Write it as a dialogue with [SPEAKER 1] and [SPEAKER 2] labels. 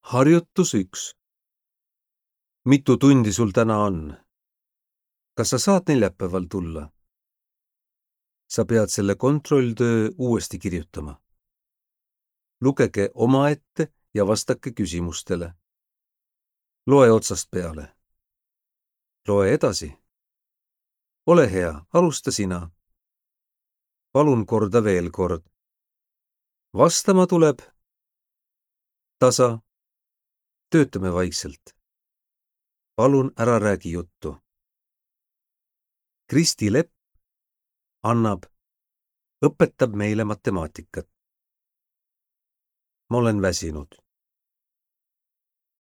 [SPEAKER 1] Harjutus 1. Mitu tundi sul täna on? Kas sa saad neljapäeval tulla? Sa pead selle kontrolltöö uuesti kirjutama. Lugege omaette ja vastake küsimustele. Loe otsast peale. Loe edasi. Ole hea, alusta sina. Palun korda veel kord. Vastama tuleb. Tasa. Töötame vaikselt. Palun ära räägi juttu. Kristi Lepp õpetab meile matemaatikat. Ma olen väsinud.